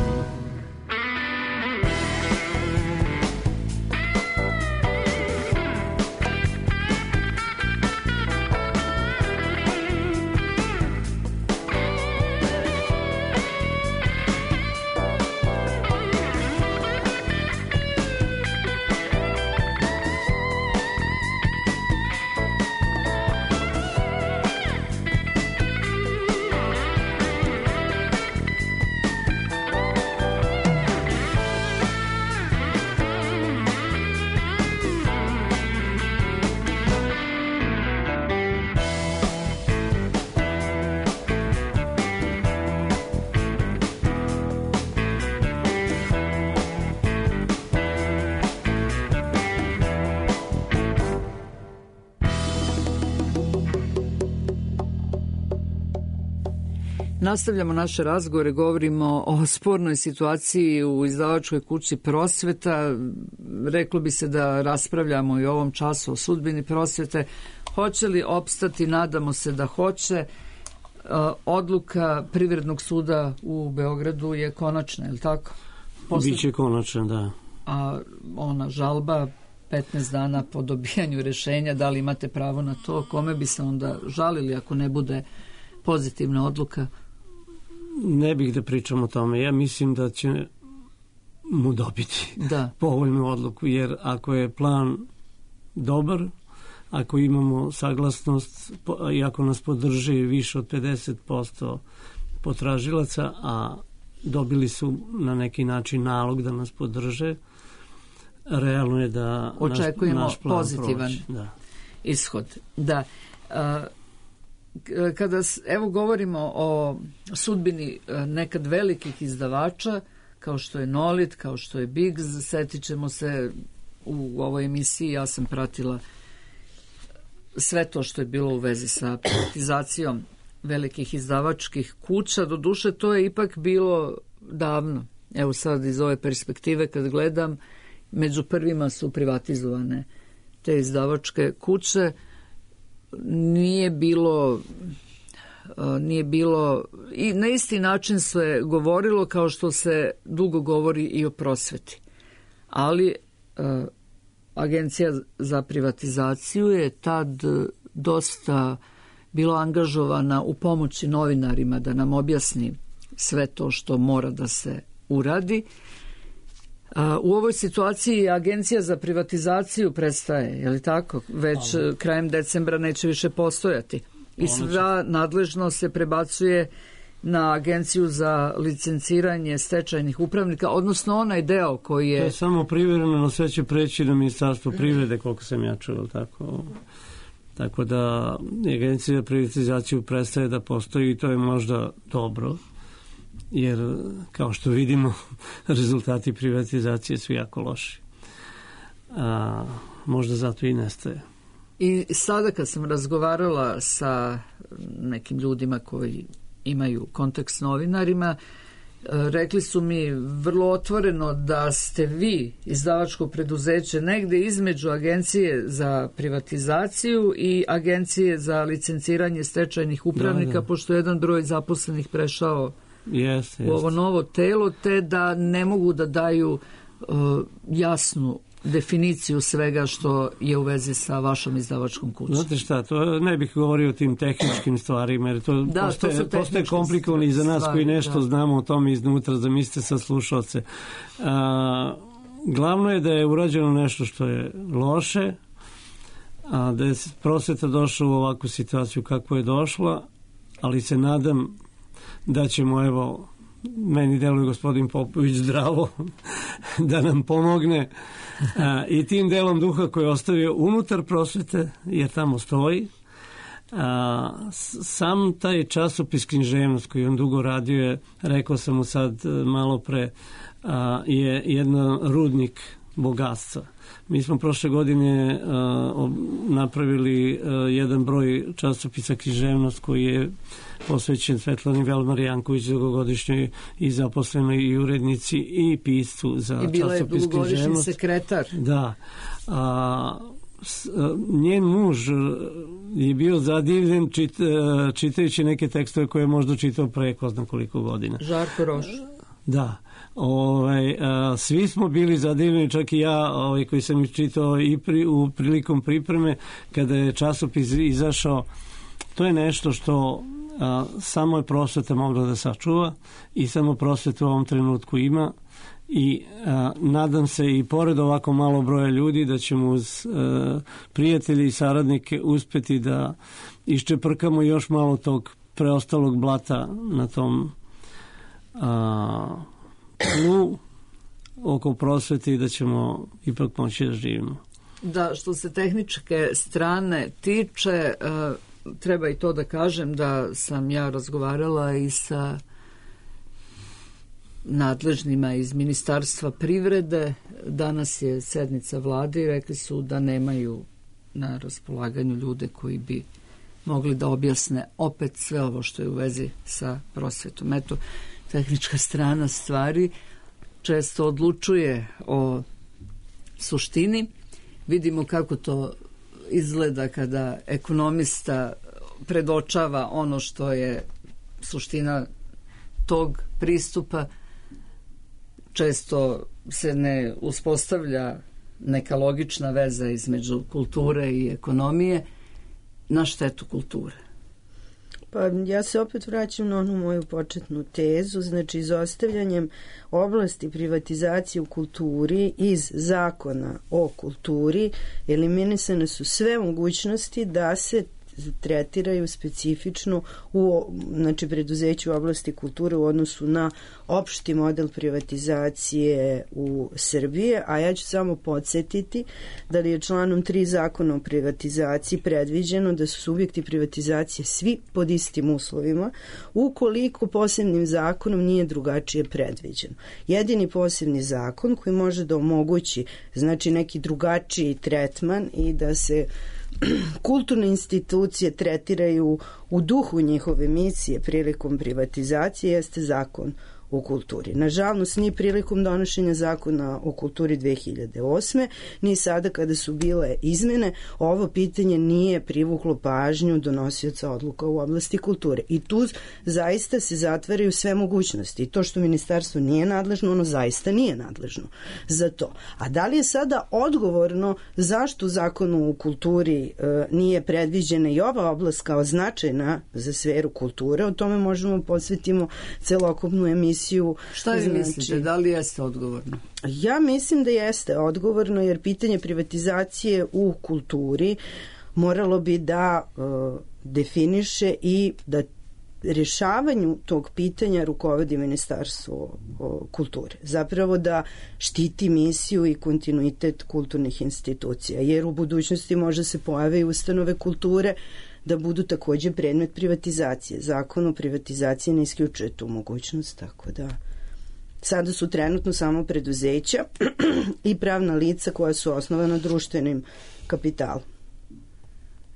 [SPEAKER 4] Nastavljamo naše razgovore, govorimo o spornoj situaciji u izdavačkoj kući Prosveta. Reklo bi se da raspravljamo i u ovom času o sudbini Prosvete. Hoće li opstati? Nadamo se da hoće. Odluka Privrednog suda u Beogradu je konačna, je li tako?
[SPEAKER 5] Posle... Biće konačna, da.
[SPEAKER 4] A ona žalba petnaest dana po dobijanju rešenja, da li imate pravo na to? Kome bi se onda žalili ako ne bude pozitivna odluka?
[SPEAKER 5] Ne bih da pričam o tome. Ja mislim da će mu dobiti
[SPEAKER 4] da.
[SPEAKER 5] povoljnu odluku, jer ako je plan dobar, ako imamo saglasnost i ako nas podrži više od pedeset posto potražilaca, a dobili su na neki način nalog da nas podrže, realno je da
[SPEAKER 4] očekujemo
[SPEAKER 5] naš, naš plan
[SPEAKER 4] pozitivan
[SPEAKER 5] da.
[SPEAKER 4] ishod. Da. A, kada evo govorimo o sudbini nekad velikih izdavača kao što je Nolit, kao što je Biggs, setit ćemo se u ovoj emisiji, ja sam pratila sve to što je bilo u vezi sa privatizacijom velikih izdavačkih kuća. Doduše to je ipak bilo davno. Evo sad iz ove perspektive kad gledam, među prvima su privatizovane te izdavačke kuće. Nije bilo nije bilo, i na isti način se govorilo kao što se dugo govori i o prosveti. Ali Agencija za privatizaciju je tad dosta bila angažovana u pomoći novinarima da nam objasni sve to što mora da se uradi. U ovoj situaciji Agencija za privatizaciju prestaje, je li tako? Već Ali. krajem decembra neće više postojati. I sva nadležnost se prebacuje na Agenciju za licenciranje stečajnih upravnika, odnosno onaj deo koji je...
[SPEAKER 5] To je samo privremeno, sve će preći na Ministarstvo privrede, koliko sam ja čuo, tako... Tako da Agencija za privatizaciju prestaje da postoji i to je možda dobro, jer kao što vidimo rezultati privatizacije su jako loši. A, možda zato i nestaje.
[SPEAKER 4] I sada kad sam razgovarala sa nekim ljudima koji imaju kontakt s novinarima, rekli su mi vrlo otvoreno da ste vi, izdavačko preduzeće, negde između Agencije za privatizaciju i Agencije za licenciranje stečajnih upravnika, da, da. Pošto je jedan broj zaposlenih prešao
[SPEAKER 5] yes,
[SPEAKER 4] u ovo novo telo, te da ne mogu da daju uh, jasnu definiciju svega što je u vezi sa vašom izdavačkom kućom.
[SPEAKER 5] Znate šta, to ne bih govorio o tim tehničkim stvarima, jer to
[SPEAKER 4] da,
[SPEAKER 5] postaje, to postaje komplikovano i za nas stvari, koji nešto da. znamo o tome iznutra, zamislite sa slušalce. A, glavno je da je urađeno nešto što je loše, a da je prosveta došla u ovakvu situaciju kako je došla, ali se nadam da ćemo, evo, meni deluje gospodin Popović zdravo, da nam pomogne a, i tim delom duha koji je ostavio unutar prosvete, jer tamo stoji. A, sam taj časopis Književnost koji on dugo radio je, rekao sam mu sad malo pre, a, je jedan rudnik bogatstva. Mi smo prošle godine uh, napravili uh, jedan broj časopisa Književnost koji je posvećen Svetlani Velmar Janković, dugogodišnjoj i zaposlenoj i urednici i piscu za časopis Književnost. I bila je dugogodišnji sekretar. Da. A, s, a, njen muž je bio zadivljen čit, čitajući neke tekstove koje je možda čitao pre ko znam koliko godina.
[SPEAKER 4] Žarko Roš.
[SPEAKER 5] Da. Ovaj, a, svi smo bili zadivljeni, čak i ja ovaj, koji sam čitao i pri, u prilikom pripreme kada je časopis izašao. To je nešto što a, samo je prosveta mogla da sačuva i samo prosveta u ovom trenutku ima i a, nadam se i pored ovako malo broja ljudi da ćemo uz a, prijatelji i saradnike uspeti da iščeprkamo još malo tog preostalog blata na tom a, tlu oko prosvete i da ćemo ipak moći da živimo.
[SPEAKER 4] Da, što se tehničke strane tiče, uh, treba i to da kažem da sam ja razgovarala i sa nadležnima iz Ministarstva privrede. Danas je sednica vlade i rekli su da nemaju na raspolaganju ljude koji bi mogli da objasne opet sve ovo što je u vezi sa prosvetom. Eto, tehnička strana stvari često odlučuje o suštini. Vidimo kako to izgleda kada ekonomista predočava ono što je suština tog pristupa. Često se ne uspostavlja neka logična veza između kulture i ekonomije na štetu kulture.
[SPEAKER 6] Pa ja se opet vraćam na onu moju početnu tezu, znači izostavljanjem oblasti privatizacije u kulturi iz zakona o kulturi eliminisane su sve mogućnosti da se tretiraju specifično u znači preduzeću u oblasti kulture u odnosu na opšti model privatizacije u Srbiji, a ja ću samo podsjetiti da li je članom tri zakona o privatizaciji predviđeno da su subjekti privatizacije svi pod istim uslovima ukoliko posebnim zakonom nije drugačije predviđeno. Jedini posebni zakon koji može da omogući znači neki drugačiji tretman i da se kulturne institucije tretiraju u duhu njihove misije prilikom privatizacije jeste zakon u kulturi. Nažalost, ni prilikom donošenja zakona o kulturi dve hiljade osme, ni sada kada su bile izmene, ovo pitanje nije privuklo pažnju donosioca odluka u oblasti kulture. I tu zaista se zatvaraju sve mogućnosti. I to što ministarstvo nije nadležno, ono zaista nije nadležno za to. A da li je sada odgovorno zašto u zakonu u kulturi e, nije predviđena i ova oblast kao značajna za sferu kulture, o tome možemo posvetimo celokupnu emisiju.
[SPEAKER 4] Šta vi
[SPEAKER 6] znači,
[SPEAKER 4] mislite, da li jeste odgovorno?
[SPEAKER 6] Ja mislim da jeste odgovorno, jer pitanje privatizacije u kulturi moralo bi da e, definiše i da rješavanju tog pitanja rukovodi Ministarstvo kulture. Zapravo da štiti misiju i kontinuitet kulturnih institucija, jer u budućnosti može se pojave i ustanove kulture da budu takođe predmet privatizacije. Zakon o privatizaciji ne isključuje tu mogućnost, tako da sada su trenutno samo preduzeća i pravna lica koja su osnovana društvenim kapitalom.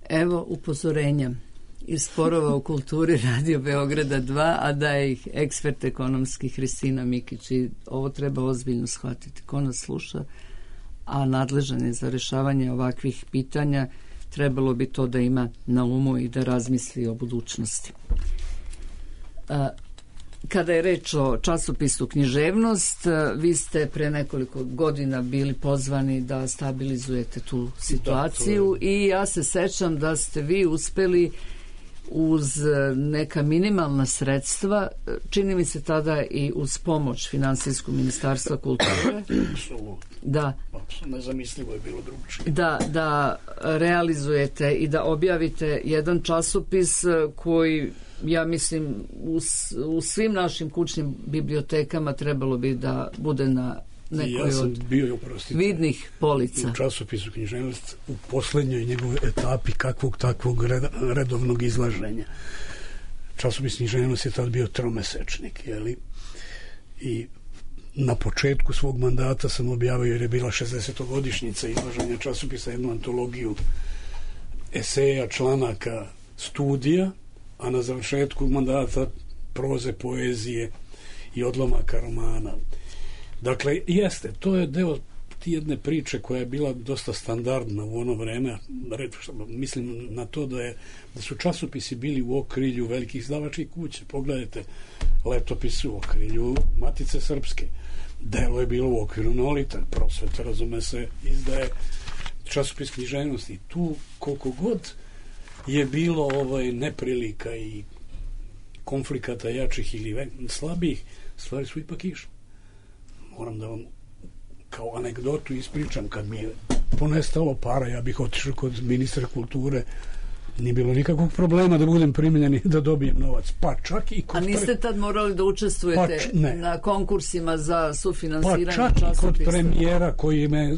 [SPEAKER 4] Evo upozorenja iz sporova u kulturi Radio Beograda dva, a da je ih ekspert ekonomski Hristina Mikić. I ovo treba ozbiljno shvatiti. Ko nas sluša, a nadležan je za rešavanje ovakvih pitanja, trebalo bi to da ima na umu i da razmisli o budućnosti. A, kada je reč o časopisu Književnost, vi ste pre nekoliko godina bili pozvani da stabilizujete tu situaciju da, je... i ja se sećam da ste vi uspeli uz neka minimalna sredstva, čini mi se tada i uz pomoć Finansijskog ministarstva kulture, da,
[SPEAKER 3] nezamislivo je bilo drugčije.
[SPEAKER 4] Da, da realizujete i da objavite jedan časopis koji, ja mislim, u, u svim našim kućnim bibliotekama trebalo bi da bude na nekoj
[SPEAKER 3] ja
[SPEAKER 4] od
[SPEAKER 3] bio, oprostite,
[SPEAKER 4] vidnih polica.
[SPEAKER 3] U časopisu Književnost u poslednjoj njegovoj etapi kakvog takvog redovnog izlaženja. Časopis Književnost je tad bio tromesečnik, jeli? I na početku svog mandata sam objavio, jer je bila šezdesetogodišnjica izlaženja časopisa, jednu antologiju eseja, članaka, studija, a na završetku mandata proze, poezije i odlomaka romana. Dakle, jeste, to je deo jedne priče koja je bila dosta standardna u ono vreme. Mislim na to da, je, da su časopisi bili u okrilju velikih izdavačkih kuća. Pogledajte Letopis u okrilju Matice Srpske. Delo je bilo u okviru Nolita. Prosveta, razume se, izdaje časopis Književnosti. Tu koliko god je bilo ovaj neprilika i konflikata jačih ili slabih, stvari su ipak išle. Moram da vam kao anegdotu ispričam, kad mi je ponestalo para, ja bih otišao kod ministra kulture, nije bilo nikakvog problema da budem primljen i da dobijem novac, pa čak i kod...
[SPEAKER 4] A niste tad morali da učestvujete
[SPEAKER 3] pa,
[SPEAKER 4] na konkursima za sufinansiranje
[SPEAKER 3] časopisa? Pa čak
[SPEAKER 4] časopisa.
[SPEAKER 3] I kod premijera koji me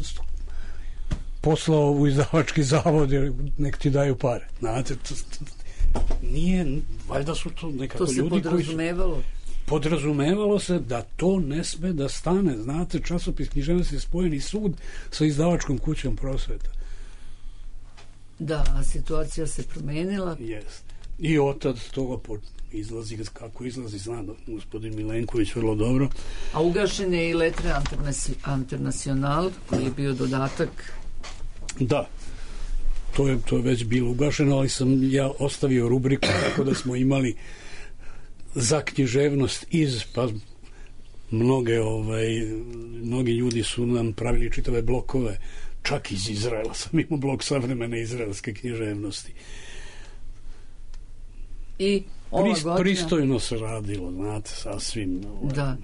[SPEAKER 3] poslao u izdavački zavod, jer nek ti daju pare. Znate, to, to, nije, valjda su to nekako ljudi koji... To se
[SPEAKER 4] podrazumevalo?
[SPEAKER 3] Podrazumevalo se da to ne sme da stane. Znate, časopis Književnosti je spojeni sud sa izdavačkom kućom Prosveta.
[SPEAKER 4] Da, a situacija se promenila.
[SPEAKER 3] Jeste. I otad toga izlazi, kako izlazi, znam, gospodin Milenković vrlo dobro.
[SPEAKER 4] A ugašen je i Lettre International, koji je bio dodatak.
[SPEAKER 3] Da, to je, to je već bilo ugašeno, ali sam ja ostavio rubriku tako da smo imali za književnost iz, pa mnoge, ovaj, mnogi ljudi su nam pravili čitave blokove, čak iz Izraela sam imao blok savremene izraelske književnosti.
[SPEAKER 4] I ova
[SPEAKER 3] Prist,
[SPEAKER 4] godina...
[SPEAKER 3] Pristojno se radilo, znate, sasvim... Ovaj,
[SPEAKER 4] da.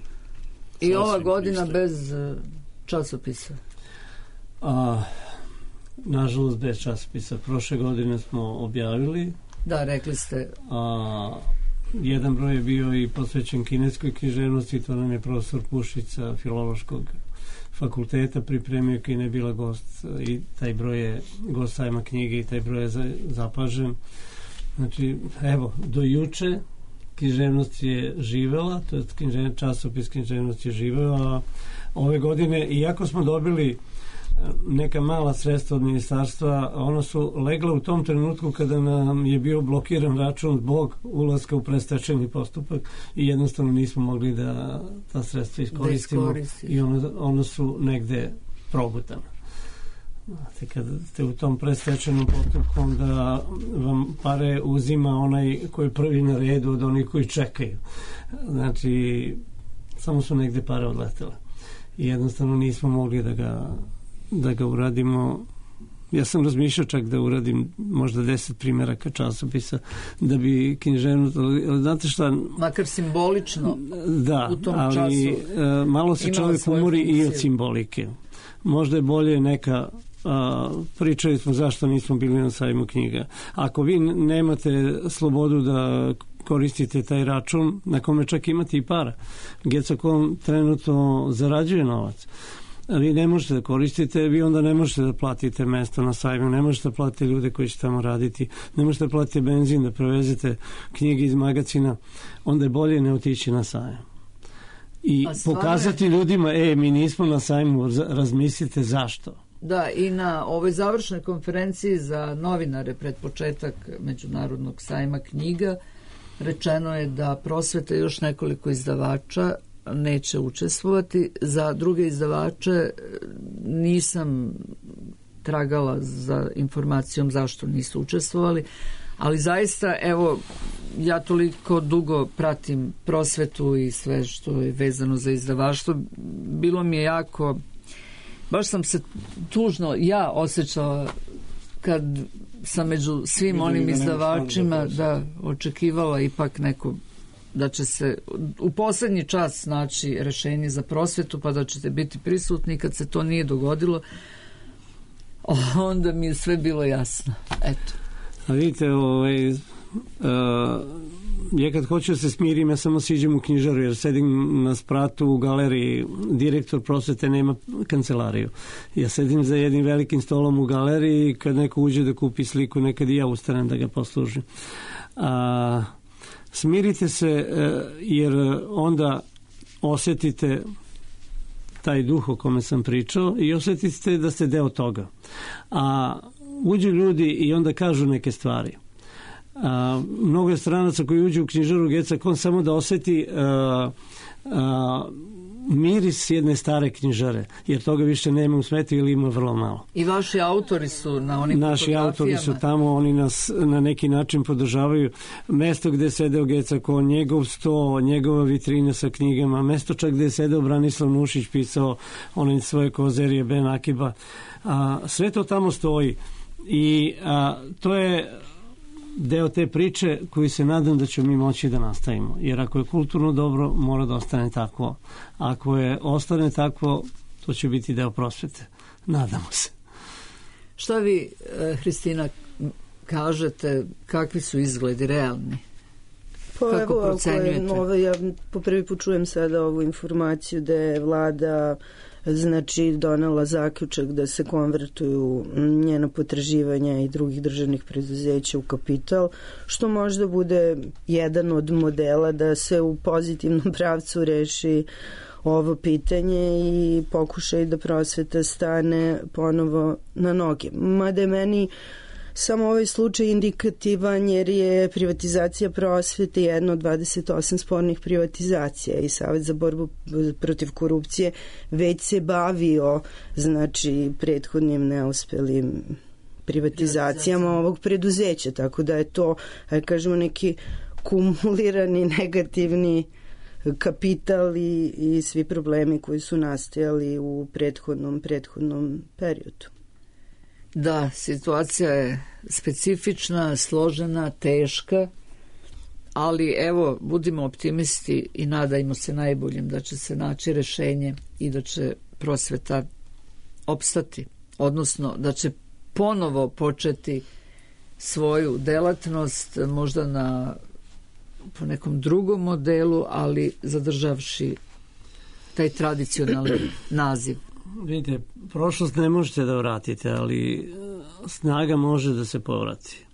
[SPEAKER 4] I
[SPEAKER 3] sasvim
[SPEAKER 4] ova godina
[SPEAKER 3] pristojno.
[SPEAKER 4] bez uh, časopisa?
[SPEAKER 5] A, nažalost, bez časopisa. Prošle godine smo objavili.
[SPEAKER 4] Da, rekli ste...
[SPEAKER 5] A, jedan broj je bio i posvećen kineskoj književnosti, to nam je profesor Pušica Filološkog fakulteta pripremio, koji ne bila gost, i taj broj je gost sajma knjige i taj broj je zapažen. Znači, evo, do juče književnost je živela, to je književnost, časopis književnost je živela, a ove godine, iako smo dobili neka mala sredstva od ministarstva, ona su legla u tom trenutku kada nam je bio blokiran račun zbog ulaska u predstečajni postupak i jednostavno nismo mogli da ta sredstva iskoristimo i ona, ona su negde progutana. Znate, kad ste u tom predstečajnom postupku, onda vam pare uzima onaj koji je prvi na redu od onih koji čekaju. Znači, samo su negde pare odletele. I jednostavno nismo mogli da ga, da ga uradimo. Ja sam razmišljao čak da uradim možda deset primjeraka časopisa da bi književnost, znate šta...
[SPEAKER 4] Makar simbolično
[SPEAKER 5] da,
[SPEAKER 4] u tom
[SPEAKER 5] ali,
[SPEAKER 4] času
[SPEAKER 5] uh, malo se čovjek umori i od simbolike. Možda je bolje neka... Uh, pričali smo zašto nismo bili na sajmu knjiga. Ako vi nemate slobodu da koristite taj račun, na kome čak imate i para, Gecakon trenutno zarađuje novac, vi ne možete da koristite, vi onda ne možete da platite mesto na sajmu, ne možete da platite ljude koji će tamo raditi, ne možete da platite benzin, da prevezete knjige iz magacina, onda je bolje ne otići na sajam. I pokazati ljudima, e, mi nismo na sajmu, razmislite zašto.
[SPEAKER 4] Da, i na ovoj završnoj konferenciji za novinare pred početak Međunarodnog sajma knjiga rečeno je da prosveta još nekoliko izdavača neće učestvovati. Za druge izdavače nisam tragala za informacijom zašto nisu učestvovali, ali zaista, evo, ja toliko dugo pratim prosvetu i sve što je vezano za izdavaštvo, bilo mi je jako... Baš sam se tužno ja osjećala kad sam među svim onim izdavačima da očekivala ipak neko da će se u posljednji čas naći rešenje za prosvetu pa da ćete biti prisutni. Kad se to nije dogodilo, onda mi je sve bilo jasno. Eto.
[SPEAKER 5] A vidite, ovaj, uh, ja kad hoću da se smirim, ja samo siđem u knjižaru, jer sedim na spratu u galeriji, direktor prosvete nema kancelariju. Ja sedim za jednim velikim stolom u galeriji i kad neko uđe da kupi sliku, nekad i ja ustanem da ga poslužim. A, smirite se, jer onda osjetite taj duh o kome sam pričao i osjetite da ste deo toga. A uđu ljudi i onda kažu neke stvari. A, mnogo je stranaca koji uđu u knjižaru Gecakon samo da osjeti a, a, miris jedne stare knjižare, jer toga više nema u svetu ili ima vrlo malo.
[SPEAKER 4] I vaši autori su na onim
[SPEAKER 5] Naši autori su tamo, oni nas na neki način podržavaju. Mesto gde je sedeo Gecakon, njegov sto, njegova vitrina sa knjigama, mesto čak gde je sedeo Branislav Nušić, pisao one svoje kozerije Ben Akiba. A, sve to tamo stoji i a, to je deo te priče koji se nadam da ćemo mi moći da nastavimo. Jer ako je kulturno dobro, mora da ostane takvo. Ako je ostane takvo, to će biti deo prosvete. Nadamo se.
[SPEAKER 4] Šta vi, Hristina, kažete, kakvi su izgledi realni?
[SPEAKER 6] Pa
[SPEAKER 4] Kako
[SPEAKER 6] evo,
[SPEAKER 4] procenjujete?
[SPEAKER 6] Ako je nove, ja po prvi put čujem sada ovu informaciju da je vlada znači donela zaključak da se konvertuju njena potraživanja i drugih državnih preduzeća u kapital, što možda bude jedan od modela da se u pozitivnom pravcu reši ovo pitanje i pokušaj da prosveta stane ponovo na noge. Mada je meni samo ovaj slučaj indikativan jer je privatizacija prosvete jedna od dvadeset osam spornih privatizacija i Savet za borbu protiv korupcije već se bavio znači prethodnim neuspelim privatizacijama ovog preduzeća, tako da je to, ajde kažemo, neki kumulirani negativni kapital i, i svi problemi koji su nastajali u prethodnom prethodnom periodu.
[SPEAKER 4] Da, situacija je specifična, složena, teška, ali evo, budimo optimisti i nadajmo se najboljim da će se naći rešenje i da će prosveta opstati, odnosno da će ponovo početi svoju delatnost, možda na po nekom drugom modelu, ali zadržavši taj tradicionalni naziv.
[SPEAKER 5] Vidite, prošlost ne možete da vratite, ali snaga može da se povrati.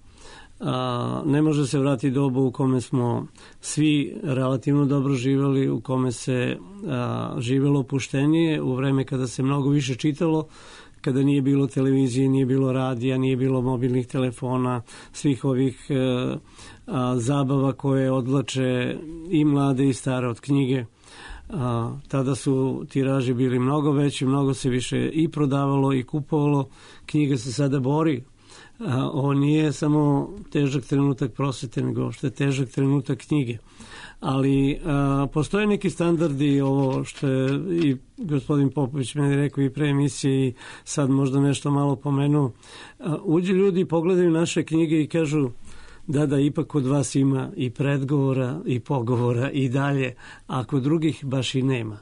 [SPEAKER 5] A, ne može se vratiti dobu u kome smo svi relativno dobro živjeli, u kome se a, živjelo opuštenije, u vreme kada se mnogo više čitalo, kada nije bilo televizije, nije bilo radija, nije bilo mobilnih telefona, svih ovih e, a, zabava koje odvlače i mlade i stare od knjige. A, tada su tiraži bili mnogo veći, mnogo se više i prodavalo i kupovalo. Knjiga se sada bori. A, ovo nije samo težak trenutak prosvete, nego što je težak trenutak knjige. Ali a, postoje neki standardi, ovo što je i gospodin Popović meni rekao i pre emisije i sad možda nešto malo pomenuo. A, uđu ljudi, pogledaju naše knjige i kažu da, da, ipak kod vas ima i predgovora i pogovora i dalje, a kod drugih baš i nema.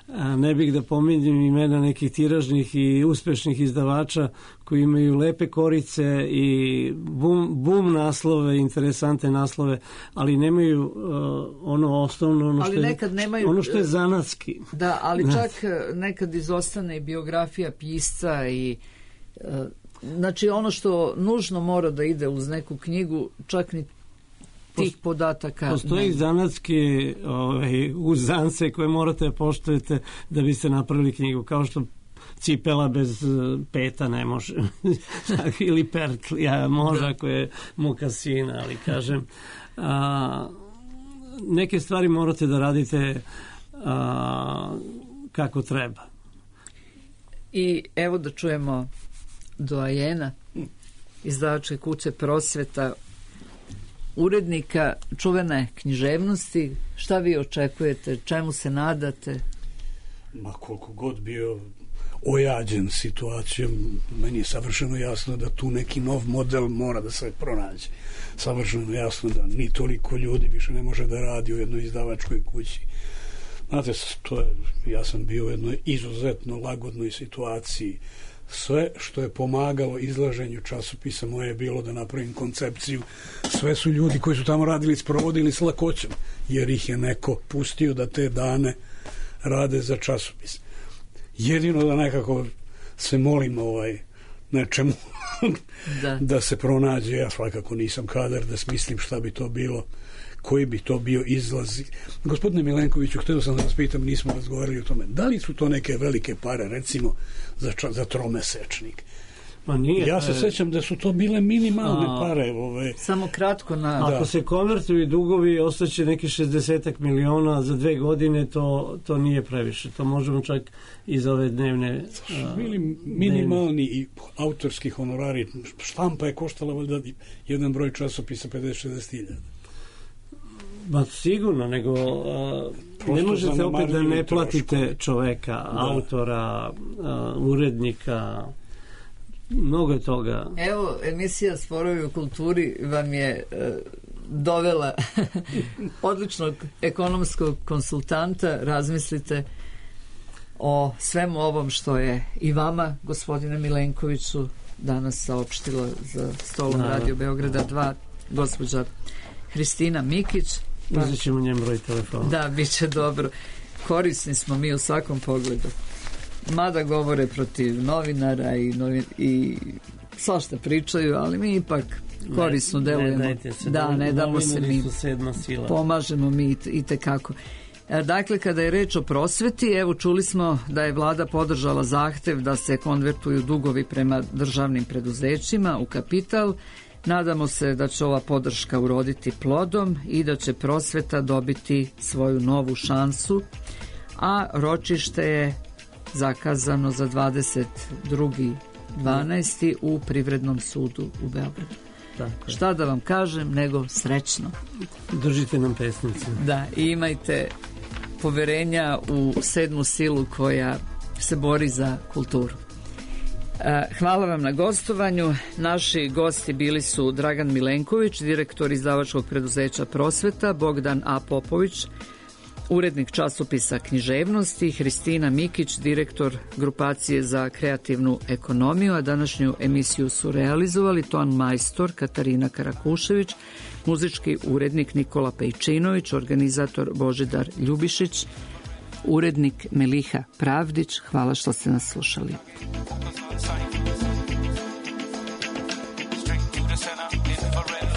[SPEAKER 5] A ne bih da pominjem imena nekih tiražnih i uspešnih izdavača koji imaju lepe korice i bum, bum naslove, interesante naslove, ali nemaju uh, ono osnovno, ono,
[SPEAKER 4] ali
[SPEAKER 5] što je,
[SPEAKER 4] nekad nemaju,
[SPEAKER 5] ono što je zanatski.
[SPEAKER 4] Da, ali čak nekad izostane i biografija pisca i uh, znači ono što nužno mora da ide uz neku knjigu, čak ni tih podataka.
[SPEAKER 5] Postoji zanatske ovaj, uzance koje morate da poštujete da biste napravili knjigu, kao što cipela bez peta ne može. Ili pertlija može ako je mokasina, ali kažem a, neke stvari morate da radite a, kako treba.
[SPEAKER 4] I evo da čujemo doajena izdavačke kuće Prosveta, urednika čuvene književnosti. Šta vi očekujete? Čemu se nadate?
[SPEAKER 3] Ma koliko god bio ojađen situacijom, meni je savršeno jasno da tu neki nov model mora da se pronađe. Savršeno jasno da ni toliko ljudi više ne može da radi u jednoj izdavačkoj kući. Znate, to je, ja sam bio u jednoj izuzetno lagodnoj situaciji. Sve što je pomagalo izlaženju časopisa moje je bilo da napravim koncepciju. Sve su ljudi koji su tamo radili sprovodili s lakoćom, jer ih je neko pustio da te dane rade za časopis. Jedino da nekako se molim ovaj nečemu da. da se pronađe. Ja svakako nisam kadar da smislim šta bi to bilo, koji bi to bio izlaz. Gospodine Milenkoviću, htio sam da vas pitam, nismo razgovarali o tome, da li su to neke velike pare, recimo za, za tromesečnik?
[SPEAKER 5] Ma nije,
[SPEAKER 3] ja se
[SPEAKER 5] e...
[SPEAKER 3] sećam da su to bile minimalne a, pare. Ove.
[SPEAKER 4] Samo kratko na...
[SPEAKER 5] Ako da. se konvertuju dugovi, ostaće neki šezdeset miliona za dve godine, to, to nije previše. To možemo čak i za ove dnevne... A,
[SPEAKER 3] bili minimalni i autorski honorari. Štampa je koštala valjda jedan broj časopisa pedeset do šezdeset hiljada.
[SPEAKER 5] Ba sigurno, nego a, ne možete opet da ne platite troško. čoveka, da. autora, a, urednika, mnogo je toga.
[SPEAKER 4] Evo, emisija Sporovi u kulturi vam je e, dovela odličnog ekonomskog konsultanta. Razmislite o svemu ovom što je i vama, gospodine Milenkoviću, danas saopštila za stolom da. Radio Beograda dva gospođa Hristina Mikić.
[SPEAKER 5] Pa, uzet ćemo njem broj telefona.
[SPEAKER 4] Da, bit će dobro. Korisni smo mi u svakom pogledu. Mada govore protiv novinara i, novin, i svašta pričaju, ali mi ipak korisno
[SPEAKER 5] ne,
[SPEAKER 4] delujemo.
[SPEAKER 5] Ne se,
[SPEAKER 4] da, ne damo se mi. Pomažemo mi i tekako. Dakle, kada je reč o prosveti, evo čuli smo da je vlada podržala zahtev da se konvertuju dugovi prema državnim preduzećima u kapital. Nadamo se da će ova podrška uroditi plodom i da će prosveta dobiti svoju novu šansu, a ročište je zakazano za dvadeset drugi dvanaesti u Privrednom sudu u Beogradu. Tako. Šta da vam kažem, nego srećno.
[SPEAKER 5] Držite nam pesnice.
[SPEAKER 4] Da, i imajte poverenja u sedmu silu koja se bori za kulturu. Hvala vam na gostovanju. Naši gosti bili su Dragan Milenković, direktor izdavačkog preduzeća Prosveta, Bogdan A. Popović, urednik časopisa Književnosti, Hristina Mikić, direktor grupacije za kreativnu ekonomiju, a današnju emisiju su realizovali ton majstor Katarina Karakušević, muzički urednik Nikola Pejčinović, organizator Božidar Ljubišić, urednik Meliha Pravdić. Hvala što ste nas slušali. Straight through the center, infrared.